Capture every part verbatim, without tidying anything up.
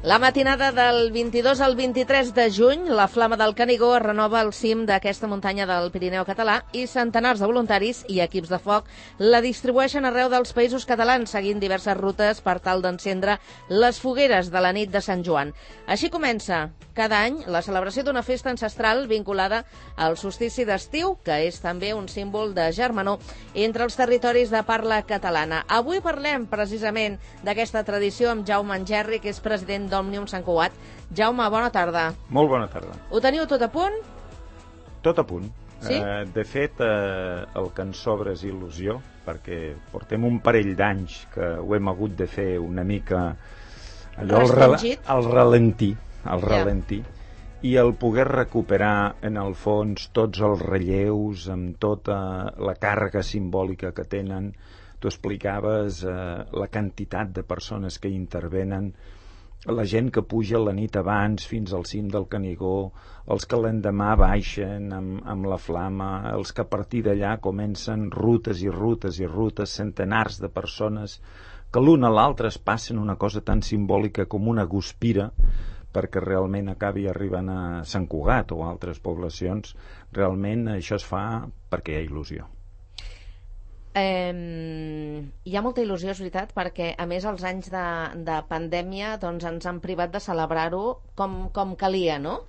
La matinada del vint-i-dos al vint-i-tres de juny, la Flama del Canigó es renova al cim d'aquesta muntanya del Pirineu català i centenars de voluntaris i equips de foc la distribueixen arreu dels països catalans, seguint diverses rutes per tal d'encendre les fogueres de la nit de Sant Joan. Així comença cada any la celebració d'una festa ancestral vinculada al solstici d'estiu, que és també un símbol de germanor entre els territoris de parla catalana. Avui parlem precisament d'aquesta tradició amb Jaume Engerri, que és president d'Òmnium Sant Cugat. Jaume, bona tarda. Molt bona tarda. Ho teniu tot a punt? Tot a punt. Sí? Uh, de fet, uh, el que ens sobra és il·lusió, perquè portem un parell d'anys que ho hem hagut de fer una mica allò al, rel al ralentí, al ralentí, yeah. I el poder recuperar en el fons tots els relleus amb tota la càrrega simbòlica que tenen. Tu explicaves uh, la quantitat de persones que intervenen, la gent que puja la nit abans fins al cim del Canigó, els que l'endemà baixen amb, amb la flama, els que a partir d'allà comencen rutes i rutes i rutes, centenars de persones que l'un a l'altre es passen una cosa tan simbòlica com una guspira perquè realment acabi arribant a Sant Cugat o altres poblacions. Realment això es fa perquè hi ha il·lusió. Eh, hi ha molta il·lusió, és veritat, perquè a més els anys de, de pandèmia doncs, ens han privat de celebrar-ho com, com calia, no?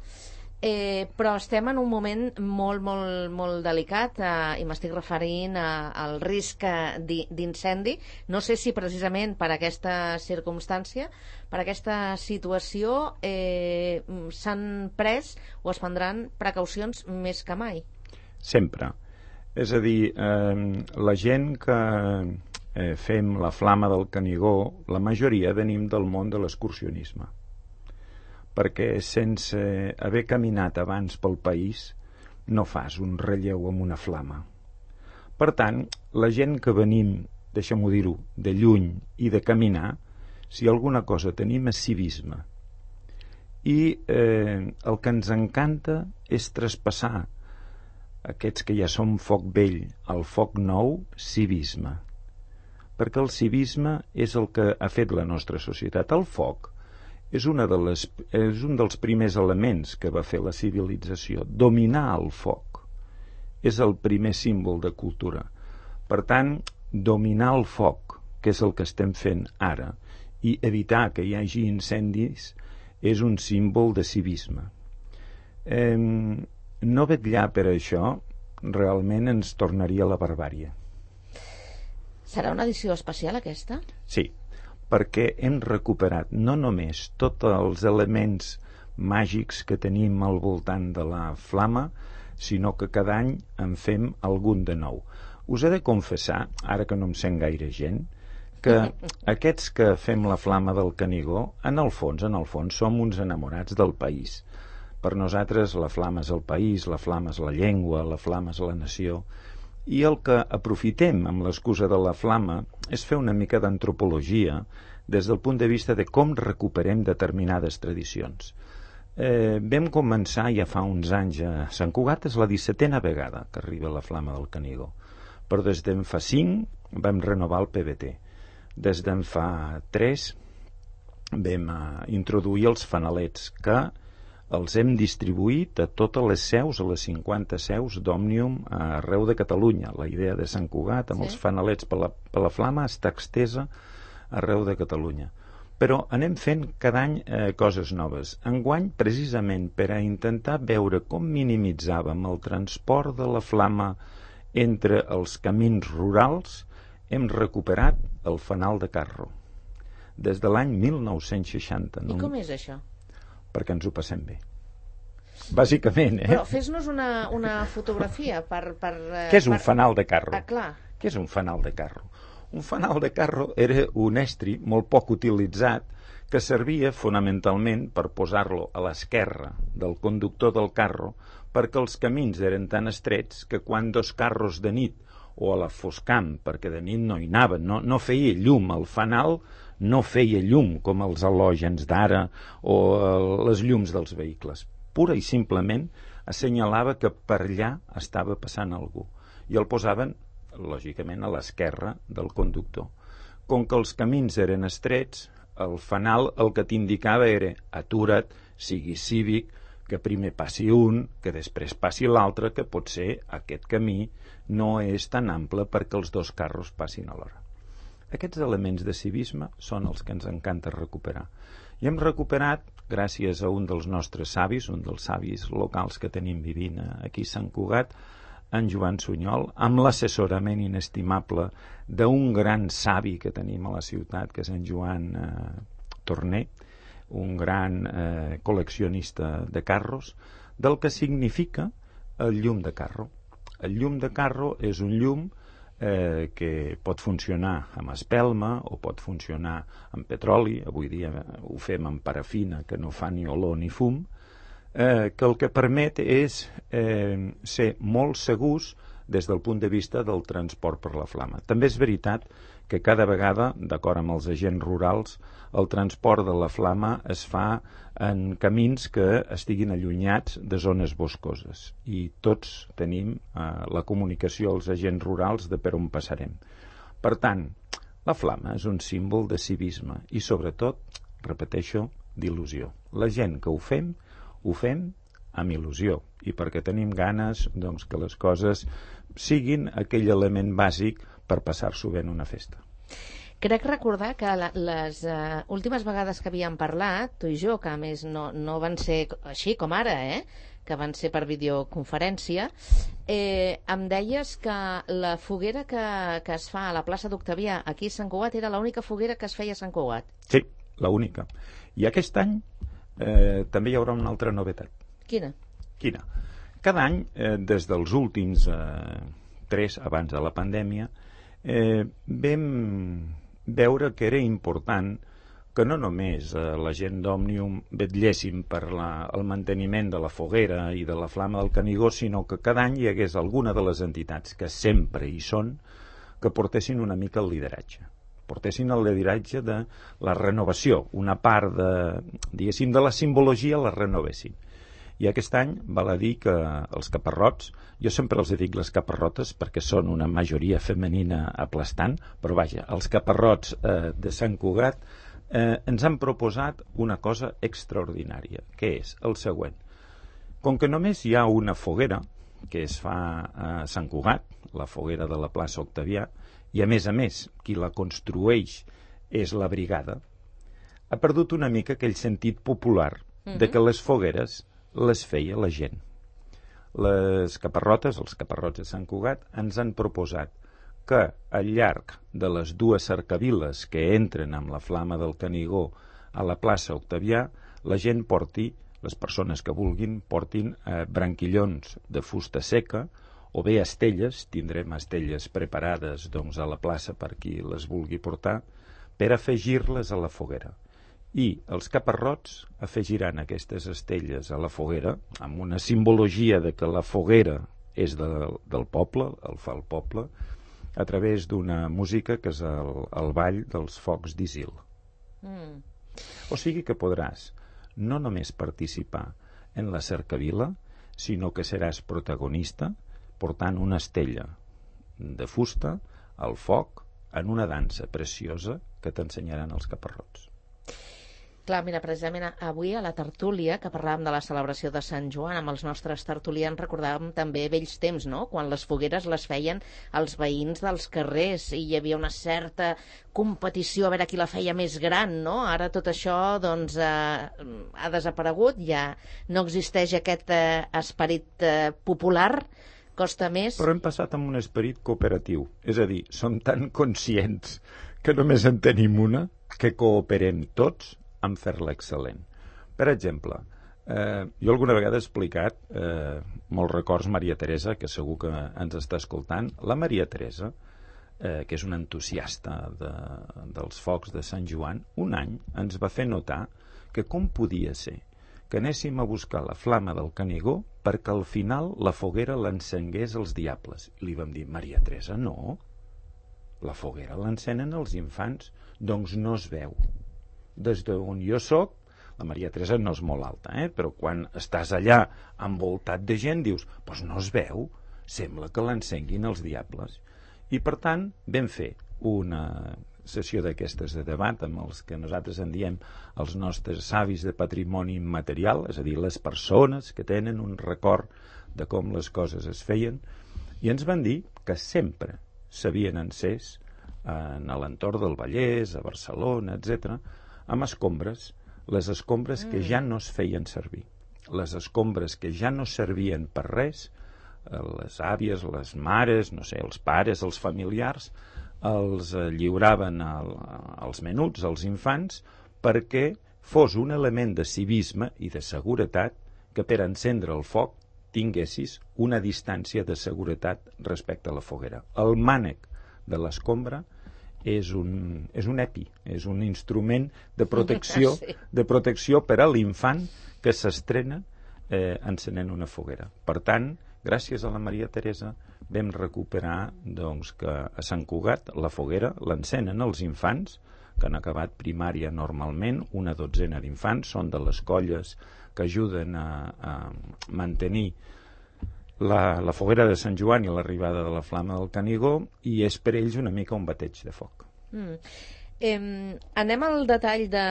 Eh, però estem en un moment molt, molt, molt delicat eh, i m'estic referint a, al risc d'incendi. No sé si precisament per aquesta circumstància, per aquesta situació, eh, s'han pres o es prendran precaucions més que mai. Sempre. És a dir, eh, la gent que eh, fem la Flama del Canigó, la majoria venim del món de l'excursionisme, perquè sense haver caminat abans pel país no fas un relleu amb una flama. Per tant, la gent que venim, deixa'm-ho dir-ho, de lluny i de caminar, si alguna cosa tenim és civisme. I eh, el que ens encanta és traspassar aquests que ja som foc vell, al foc nou, civisme. Perquè el civisme és el que ha fet la nostra societat. El foc és, una de les, és un dels primers elements que va fer la civilització. Dominar el foc és el primer símbol de cultura. Per tant, dominar el foc, que és el que estem fent ara, i evitar que hi hagi incendis, és un símbol de civisme. Eh, No vetllar per això realment ens tornaria a la barbàrie. Serà una edició especial aquesta? Sí, perquè hem recuperat no només tots els elements màgics que tenim al voltant de la flama, sinó que cada any en fem algun de nou. Us he de confessar, ara que no em sent gaire gent, que aquests que fem la Flama del Canigó, en el fons, en el fons, som uns enamorats del país. Per nosaltres la flama és el país, la flama és la llengua, la flama és la nació, i el que aprofitem amb l'excusa de la flama és fer una mica d'antropologia des del punt de vista de com recuperem determinades tradicions. Eh, vam començar ja fa uns anys a Sant Cugat, és la dissetena vegada que arriba la Flama del Canigó, però des d'en fa cinc vam renovar el P B T. Des d'en fa tres vam eh, introduir els fanalets, que els hem distribuït a totes les seus, a les cinquanta seus d'Òmnium arreu de Catalunya. La idea de Sant Cugat amb sí. els fanalets per la, per la flama està extesa arreu de Catalunya. Però anem fent cada any eh, coses noves. Enguany, precisament per a intentar veure com minimitzàvem el transport de la flama entre els camins rurals, hem recuperat el fanal de carro des de l'any mil nou-cents seixanta. I no? Com és això? Perquè ens ho passem bé. Bàsicament, eh? Però fes-nos una, una fotografia per... per eh, Què és un per... fanal de carro? Ah, clar. Què és un fanal de carro? Un fanal de carro era un estri molt poc utilitzat que servia fonamentalment per posar-lo a l'esquerra del conductor del carro, perquè els camins eren tan estrets que quan dos carros de nit o a la foscam, perquè de nit no hi anaven, no, no feia llum, el fanal no feia llum com els halògens d'ara o les llums dels vehicles. Pura i simplement assenyalava que per allà estava passant algú. I el posaven, lògicament, a l'esquerra del conductor. Com que els camins eren estrets, el fanal el que t'indicava era atura't, sigui cívic, que primer passi un, que després passi l'altre, que potser aquest camí no és tan ample perquè els dos carros passin alhora. Aquests elements de civisme són els que ens encanta recuperar. I hem recuperat, gràcies a un dels nostres savis, un dels savis locals que tenim vivint aquí a Sant Cugat, en Joan Sunyol, amb l'assessorament inestimable d'un gran savi que tenim a la ciutat, que és en Joan eh, Torner, un gran eh, col·leccionista de carros, del que significa el llum de carro. El llum de carro és un llum eh, que pot funcionar amb espelma o pot funcionar amb petroli, avui dia ho fem amb parafina, que no fa ni olor ni fum, eh, que el que permet és eh, ser molt segurs des del punt de vista del transport per la flama. També és veritat que cada vegada, d'acord amb els agents rurals, el transport de la flama es fa en camins que estiguin allunyats de zones boscoses i tots tenim eh, la comunicació als agents rurals de per on passarem. Per tant, la flama és un símbol de civisme i sobretot, repeteixo, d'il·lusió. La gent que ho fem, ho fem amb il·lusió i perquè tenim ganes doncs, que les coses siguin aquell element bàsic per passar-s'ho bé en una festa. Crec recordar que la, les uh, últimes vegades que havíem parlat, tu i jo, que a més no, no van ser així com ara, eh? que van ser per videoconferència, eh, em deies que la foguera que, que es fa a la plaça d'Octavià aquí a Sant Cugat era l'única foguera que es feia a Sant Cugat. Sí, l'única. I aquest any eh, també hi haurà una altra novetat. Quina? Quina? Cada any, eh, des dels últims eh, tres abans de la pandèmia, eh, vam veure que era important que no només eh, la gent d'Òmnium vetlléssim per la, el manteniment de la foguera i de la flama del Canigó, sinó que cada any hi hagués alguna de les entitats que sempre hi són, que portessin una mica el lideratge. Portessin el lideratge de la renovació, una part de, diguéssim, de la simbologia la renovessin. I aquest any val a dir que els caparrots, jo sempre els dic les caparrotes perquè són una majoria femenina aplastant, però vaja, els caparrots eh, de Sant Cugat eh, ens han proposat una cosa extraordinària, que és el següent. Com que només hi ha una foguera que es fa a Sant Cugat, la foguera de la plaça Octavià, i a més a més qui la construeix és la brigada, ha perdut una mica aquell sentit popular mm-hmm. de que les fogueres les feia la gent. Les caparrotes, els caparrots de Sant Cugat, ens han proposat que al llarg de les dues cercaviles que entren amb la flama del Canigó a la plaça Octavià, la gent porti, les persones que vulguin, portin eh, branquillons de fusta seca o bé estelles, tindrem estelles preparades doncs, a la plaça per qui les vulgui portar, per afegir-les a la foguera. I els caparrots afegiran aquestes estelles a la foguera amb una simbologia de que la foguera és de, del poble, el fa el poble, a través d'una música que és el, el ball dels focs d'Isil. Mm. O sigui que podràs no només participar en la cercavila, sinó que seràs protagonista portant una estella de fusta al foc en una dansa preciosa que t'ensenyaran els caparrots. Clar, mira, precisament avui a la tertúlia, que parlàvem de la celebració de Sant Joan, amb els nostres tertulians recordàvem també vells temps, no?, quan les fogueres les feien els veïns dels carrers i hi havia una certa competició a veure qui la feia més gran, no? Ara tot això, doncs, eh, ha desaparegut, ja no existeix aquest eh, esperit eh, popular, costa més... Però hem passat amb un esperit cooperatiu, és a dir, som tan conscients que només en tenim una, que cooperem tots en fer-la excel·lent. Per exemple, eh, jo alguna vegada he explicat eh, molts records Maria Teresa, que segur que ens està escoltant. La Maria Teresa, eh, que és una entusiasta de, dels focs de Sant Joan, un any ens va fer notar que com podia ser que anéssim a buscar la flama del Canigó perquè al final la foguera l'encengués els diables. I li vam dir, Maria Teresa, no, la foguera l'encenen els infants, doncs no es veu. Des d'on jo soc, la Maria Teresa no és molt alta, eh? Però quan estàs allà envoltat de gent dius, doncs no es veu, sembla que l'encenguin els diables. I per tant vam fer una sessió d'aquestes de debat amb els que nosaltres en diem els nostres savis de patrimoni immaterial, és a dir, les persones que tenen un record de com les coses es feien, i ens van dir que sempre s'havien encès en l'entorn del Vallès, a Barcelona, etcètera, amb escombres, les escombres que ja no es feien servir, les escombres que ja no servien per res, les àvies, les mares, no sé, els pares, els familiars, els lliuraven al, als menuts, als infants, perquè fos un element de civisme i de seguretat que per encendre el foc tinguessis una distància de seguretat respecte a la foguera. El mànec de l'escombra és un, és un epi, és un instrument de protecció, sí. de protecció per a l'infant que s'estrena eh, encenent una foguera. Per tant, gràcies a la Maria Teresa vam recuperar doncs, que a Sant Cugat la foguera l'encenen els infants, que han acabat primària normalment, una dotzena d'infants, són de les colles que ajuden a, a mantenir la, la foguera de Sant Joan i l'arribada de la flama del Canigó, i és per ells una mica un bateig de foc. Mm. Eh, anem al detall de,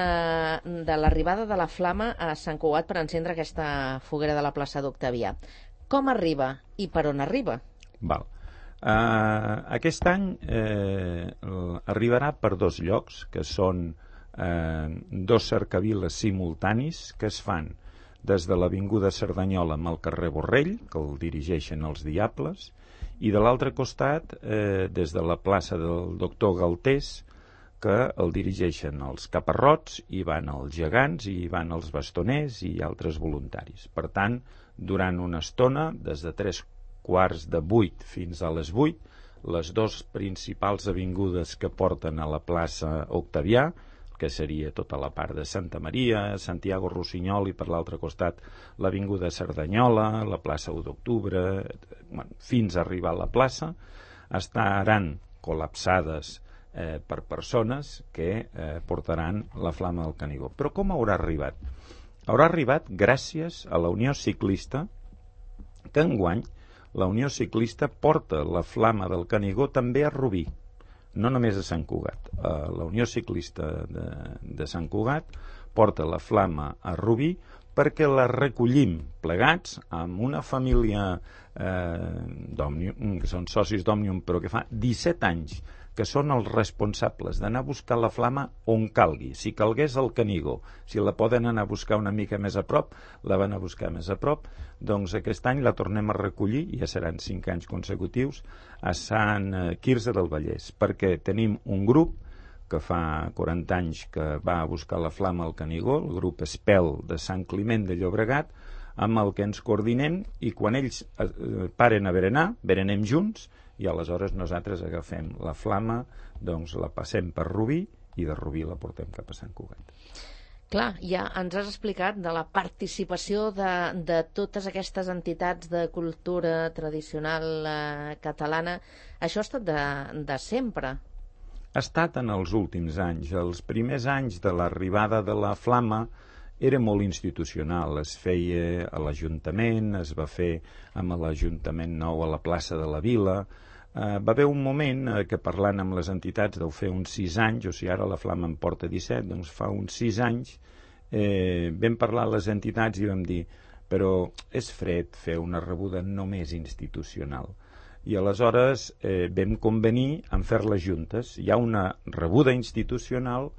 de l'arribada de la flama a Sant Cugat per encendre aquesta foguera de la plaça d'Octavià. Com arriba i per on arriba? Val. Uh, aquest any eh, arribarà per dos llocs, que són eh, dos cercaviles simultanis que es fan des de l'avinguda Cerdanyola amb el carrer Borrell, que el dirigeixen els Diables, i de l'altre costat eh, des de la plaça del doctor Galtés, que el dirigeixen els Caparrots, i van els Gegants, i van els Bastoners i altres voluntaris. Per tant, durant una estona, des de tres quarts de vuit fins a les vuit, les dues principals avingudes que porten a la plaça Octavià, que seria tota la part de Santa Maria, Santiago Rossinyol, i per l'altre costat l'avinguda Cerdanyola, la plaça u d'octubre, bueno, fins a arribar a la plaça, estaran col·lapsades eh, per persones que eh, portaran la flama del Canigó. Però com haurà arribat? Haurà arribat gràcies a la Unió Ciclista, que enguany la Unió Ciclista porta la flama del Canigó també a Rubí, no només a Sant Cugat. Uh, la Unió Ciclista de, de Sant Cugat porta la flama a Rubí perquè la recollim plegats amb una família eh, d'Òmnium, que són socis d'Òmnium, però que fa disset anys que són els responsables d'anar a buscar la flama on calgui. Si calgués al Canigó, si la poden anar a buscar una mica més a prop, la van a buscar més a prop, doncs aquest any la tornem a recollir, ja seran cinc anys consecutius, a Sant Quirze del Vallès, perquè tenim un grup que fa quaranta anys que va a buscar la flama al Canigó, el grup Espel de Sant Climent de Llobregat, amb el que ens coordinem, i quan ells eh, paren a berenar, berenem junts, i aleshores nosaltres agafem la flama, doncs la passem per Rubí, i de Rubí la portem cap a Sant Cugat. Clar, ja ens has explicat de la participació de, de totes aquestes entitats de cultura tradicional eh, catalana. Això ha estat de, de sempre. Ha estat en els últims anys. Els primers anys de l'arribada de la flama era molt institucional, es feia a l'Ajuntament, es va fer amb l'Ajuntament nou a la plaça de la Vila. Uh, va haver un moment uh, que parlant amb les entitats deu fer uns sis anys, o sigui ara la flama en porta disset, doncs fa uns sis anys eh, vam parlar a les entitats i vam dir, però és fred fer una rebuda només institucional. I aleshores eh, vam convenir en fer-les juntes. Hi ha una rebuda institucional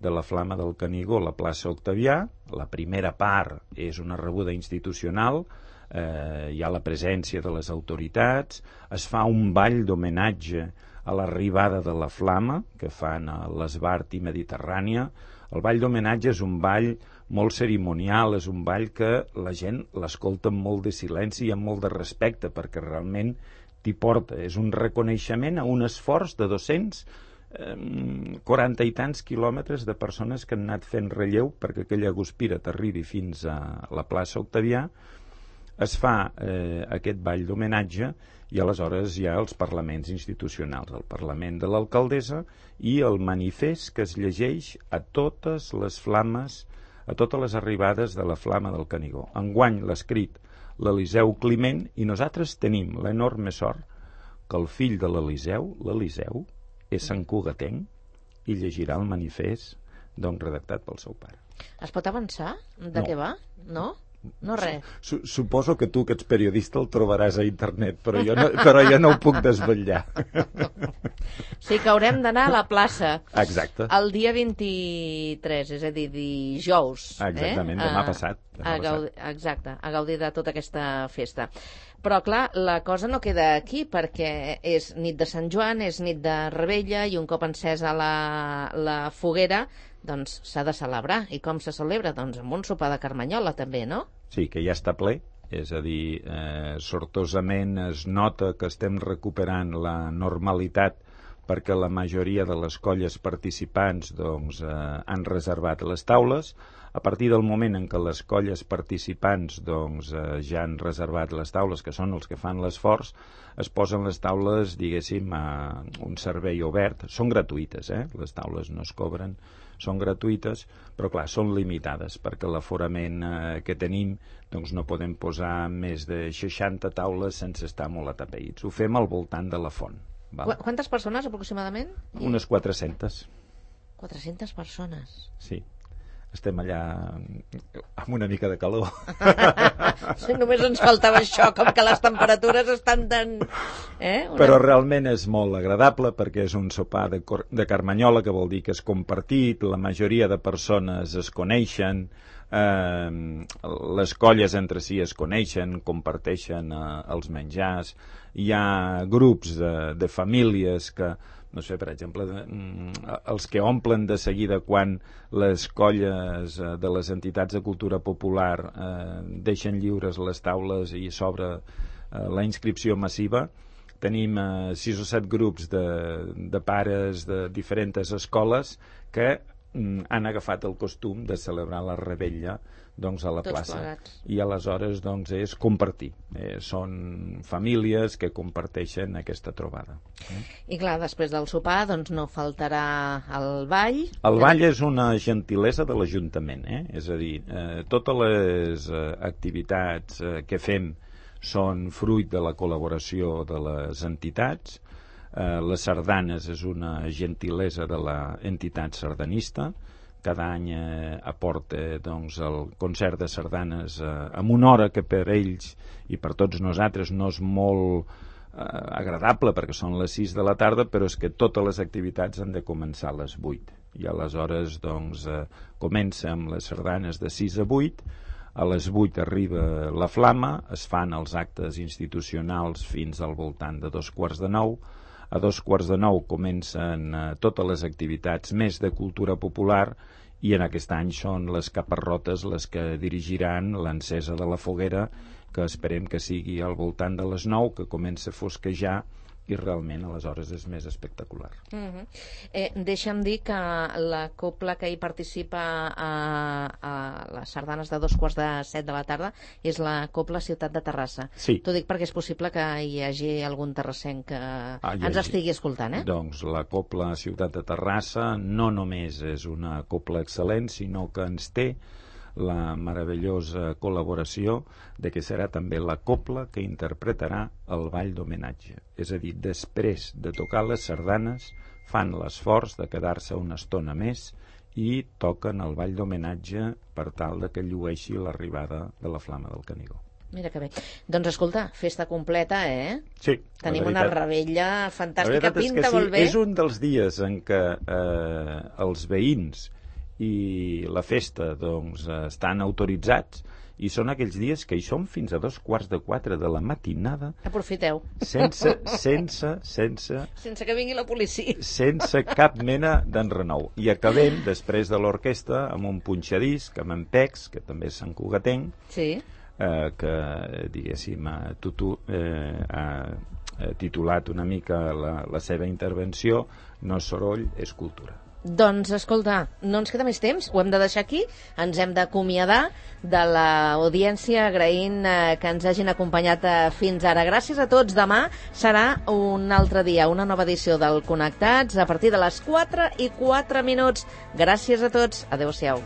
de la flama del Canigó a la plaça Octavià. La primera part és una rebuda institucional, eh, hi ha la presència de les autoritats, es fa un ball d'homenatge a l'arribada de la flama que fan a l'Esbart i Mediterrània. El ball d'homenatge és un ball molt cerimonial, és un ball que la gent l'escolta amb molt de silenci i amb molt de respecte, perquè realment t'hi porta. És un reconeixement a un esforç de dos-cents quaranta i tants quilòmetres de persones que han anat fent relleu perquè aquella guspira t'arribi fins a la plaça Octavià. Es fa eh, aquest ball d'homenatge i aleshores hi ha els parlaments institucionals, el Parlament de l'Alcaldessa i el manifest que es llegeix a totes les flames, a totes les arribades de la flama del Canigó. Enguany l'ha escrit l'Eliseu Climent i nosaltres tenim l'enorme sort que el fill de l'Eliseu, l'Eliseu, és santcugatenc i llegirà el manifest doncs, redactat pel seu pare. Es pot avançar de No. què va? No? No res. Su Suposo que tu, que ets periodista, el trobaràs a internet, però jo no, però jo no ho puc desvetllar. Sí que haurem d'anar a la plaça. Exacte. El dia vint-i-tres, és a dir, dijous. Exactament, eh? demà A- passat. Demà a gaudir, exacte, a gaudir de tota aquesta festa. Però, clar, la cosa no queda aquí, perquè és nit de Sant Joan, és nit de Rebella, i un cop encesa la, la foguera, doncs s'ha de celebrar. I com se celebra? Doncs amb un sopar de carmanyola, també, no? Sí, que ja està ple, és a dir, eh, sortosament es nota que estem recuperant la normalitat perquè la majoria de les colles participants doncs, eh, han reservat les taules. A partir del moment en què les colles participants doncs, eh, ja han reservat les taules, que són els que fan l'esforç, es posen les taules, diguéssim, a un servei obert. Són gratuïtes, eh? Les taules no es cobren, són gratuïtes, però clar, són limitades, perquè l'aforament eh, que tenim doncs no podem posar més de seixanta taules sense estar molt atapeïts. Ho fem al voltant de la font. Val? Qu Quantes persones, aproximadament? Unes quatre-centes. quatre-centes persones. Sí. Estem allà amb una mica de calor. Sí, només ens faltava això, com que les temperatures estan tan... Eh? Una... Però realment és molt agradable perquè és un sopar de, de carmanyola, que vol dir que és compartit, la majoria de persones es coneixen, eh, les colles entre si es coneixen, comparteixen eh, els menjars, hi ha grups de, de famílies que, no sé, per exemple, els que omplen de seguida quan les colles de les entitats de cultura popular eh, deixen lliures les taules i s'obre eh, la inscripció massiva. Tenim eh, sis o set grups de, de pares de diferents escoles que mm, han agafat el costum de celebrar la Rebella doncs, a la Tots plaça. plegats. I aleshores doncs, és compartir. Eh, són famílies que comparteixen aquesta trobada. Eh? I clar, després del sopar doncs no faltarà el ball. El ball és una gentilesa de l'Ajuntament, eh? És a dir, eh, totes les eh, activitats eh, que fem són fruit de la col·laboració de les entitats. Eh, les sardanes és una gentilesa de l'entitat sardanista. Cada any eh, aporta doncs, el concert de sardanes eh, amb una hora que per ells i per tots nosaltres no és molt eh, agradable perquè són les sis de la tarda, però és que totes les activitats han de començar a les vuit. I aleshores doncs, eh, comença amb les sardanes de sis a vuit, a les vuit arriba la flama, es fan els actes institucionals fins al voltant de dos quarts de nou. A dos quarts de nou comencen eh, totes les activitats més de cultura popular i en aquest any són les caparrotes les que dirigiran l'encesa de la foguera, que esperem que sigui al voltant de les nou, que comença a fosquejar i realment aleshores és més espectacular. Uh-huh. eh, deixa'm dir que la copla que hi participa a, a les sardanes de dos quarts de set de la tarda és la copla Ciutat de Terrassa. Sí. T'ho dic perquè és possible que hi hagi algun terrassenc que Ah, hi ens hagi. estigui escoltant, eh? Doncs la copla Ciutat de Terrassa no només és una copla excel·lent, sinó que ens té la meravellosa col·laboració de que serà també la copla que interpretarà el ball d'homenatge. És a dir, després de tocar les sardanes, fan l'esforç de quedar-se una estona més i toquen el ball d'homenatge per tal de que llueixi l'arribada de la flama del Canigó. Mira que bé. Doncs escolta, festa completa, eh? Sí, Tenim la una veritat- Rebella la fantàstica, veritat és que pinta sí, molt bé. és un dels dies en què eh, els veïns i la festa doncs, eh, estan autoritzats i són aquells dies que hi som fins a dos quarts de quatre de la matinada Aprofiteu. sense, sense, sense, Sense que vingui la policia. sense cap mena d'enrenou. I acabem, després de l'orquestra, amb un punxadisc, amb en Pex, que també és sant Cugatenc, Sí. eh, que, diguéssim, ha, tutu, eh, ha eh, titulat una mica la, la seva intervenció No és soroll, és cultura. Doncs, escolta, no ens queda més temps, ho hem de deixar aquí, ens hem d'acomiadar de l'audiència agraint eh, que ens hagin acompanyat eh, fins ara. Gràcies a tots, demà serà un altre dia, una nova edició del Connectats a partir de les quatre i quatre minuts. Gràcies a tots, adeu-siau.